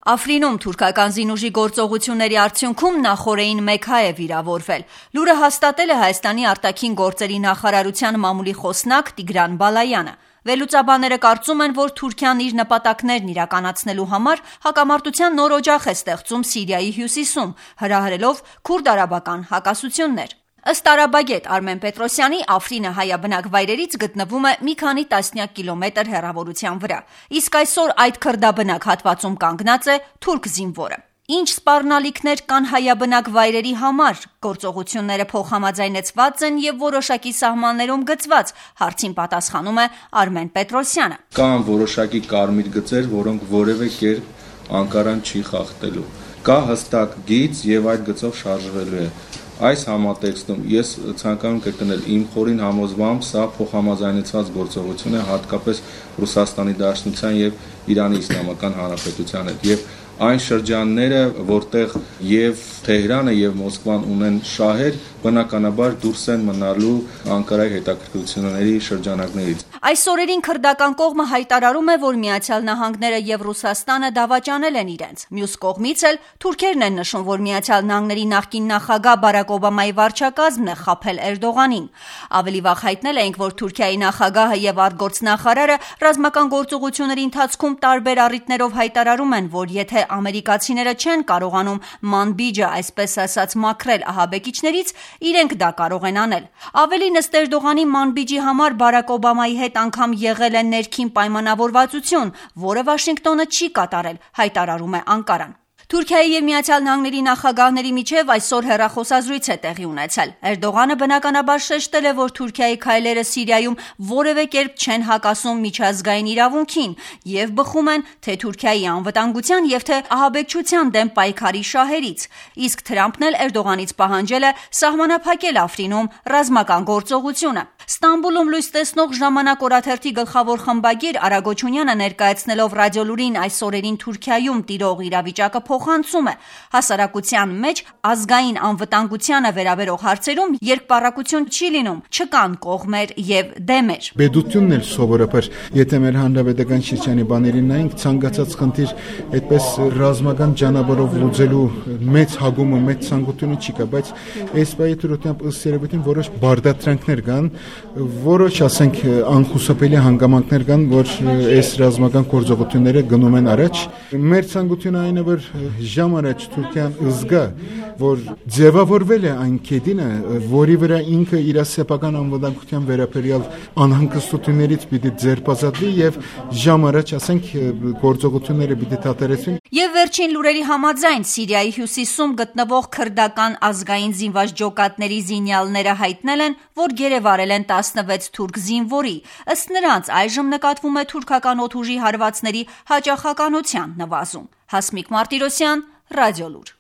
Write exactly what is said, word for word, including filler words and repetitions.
Աֆրինում թուրքական զինուժի գործողությունների արդյունքում նախօրեին մեկ հայ է վիրավորվել։ Լուրը հաստատել է Հայաստանի արտաքին գործերի նախարարության մամուլի խոսնակ Տիգրան Բալայանը։ Վերլուծաբանները կարծում են, որ Թուրքիան իր նպատակներն իրականացնելու համար հակամարտության նոր օջախ է ստեղծում Սիրիայի հյուսիսում, հրահրելով քուրդ-արաբական հակասություններ։ Ըստ արաբագետ Արմեն Պետրոսյանի, Աֆրինը հայաբնակ վայրերից գտնվում է մի քանի տասնյակ կիլոմետր հեռավորության վրա, իսկ այսօր այդ քրդաբնակ հատվածում կանգնած է թուրք զինվորը։ Ինչ սպառնալիքներ կան հայաբնակ վայրերի համար, գործողությունները փոխհամաձայնեցված են եւ որոշակի սահմաններում գծված, հարցին պատասխանում է Արմեն Պետրոսյանը։ Կան որոշակի կարմիր գծեր, որոնք որևէ կերպ Անկարան չի խախտելու։ Կա հստակ գիծ եւ այդ գծով շարժվելու է։ Այս համատեքստում ես ցանկանում կրկնել իմ խորին համոզմամբ, սա փոխհամաձայնեցված գործողություն է հատկապես Ռուսաստանի Դաշնության եւ Իրանի Իսլամական Հանրապետության հետ եւ այն շրջանները, որտեղ եւ Թեհրանը եւ Մոսկվան ունեն շահեր, բնականաբար դուրս են մնալու Անկարայի հետաքրքրությունների շրջանակներից։ Այս օրերին քրդական կողմը հայտարարում է, որ Միացյալ Նահանգները եւ Ռուսաստանը դավաճանել են իրենց։ Մյուս կողմից էլ թուրքերն են նշում, որ Միացյալ Նահանգների նախկին նախագահ Բարակ Օբամայի վարչակազմն է խաբել Էրդողանին։ Ավելի վաղ հայտնել էինք, որ Թուրքիայի նախագահը եւ արտգործնախարարը ռազմական գործողությունների ընթացքում տարբեր առիթներով հայտարարում են, որ եթե ամերիկացիները չեն կարողանում Մանբիջը, այսպես ասած, մաքրել ահաբեկիչներից, իրենք դա կարող են անել։ Ավելին, ըստ Էրդողանի, Մանբիջի համար Բարակ Օբամայի հետ անգամ եղել է ներքին պայմանավորվածություն, որը Վաշինգտոնը չի կատարել, հայտարարում է Անկարան։ Թուրքիայի եւ Միացյալ Նահանգների նախագահների միջև այսօր հեռախոսազրույց է տեղի ունեցել։ Էրդողանը բնականաբար շեշտել է, որ Թուրքիայի քայլերը Սիրիայում որևէ կերպ չեն հակասում միջազգային իրավունքին եւ բխում են թե Թուրքիայի անվտանգության եւ թե ահաբեկչության դեմ պայքարի շահերից։ Իսկ Թրամփն էլ Էրդողանից պահանջել է սահմանափակել Աֆրինում ռազմական գործողությունը։ Ստամբուլում լույս տեսնող Ժամանակ օրաթերթի գլխավոր խմբագիր Արագոչունյանը ներկայացնելով ռադիոլուրին այս օրերին Թուրքիայում տիրող իրավիճակը փոխանցում է։ Հասարակության մեջ ազգային անվտանգությանը վերաբերող հարցերում երկպառակություն չի լինում, չկան կողմեր եւ դեմեր։ Պետությունն էլ սովորաբար, եթե մեր հանրապետական շրջանի բաներին նայենք, ցանկացած խնդիր այդպես ռազմական ճանապարհով լուծելու մեծ հագումը, մեծ ցանկությունը չի կա, բայց այս բայդրությամբ ըստ երևույթին որոշ բարդատրանքներ կան, որոշ ասենք անխուսափելի հանգամանքներ կան, որ այս ռազմական գործողությունները գնում են առաջ։ Մեր ցանկությունը այն է, որ ժամ առաջ Թուրքիան զգա, որ ձևավորվել է այն կետինը, որի վրա ինքը իր սեփական անվտանգության վերաբերյալ անհանգստություններից պիտի ձերբազատվի եւ ժամ առաջ ասենք գործողությունները պիտի դադարեցվեն։ Եվ վերջին լուրերի համաձայն Սիրիայի հյուսիսում գտնվող քրդական ազգային զինված ջոկատների զինյալները հայտնել են, որ գերեվարել են տասնվեց թուրք զինվորի։ Ըստ նրանց այժմ նկատվում է թուրքական օդուժի հարվածների հաճախականության նվազում։ Հասմիկ Մարտիրոսյան, Ռադիոլուր։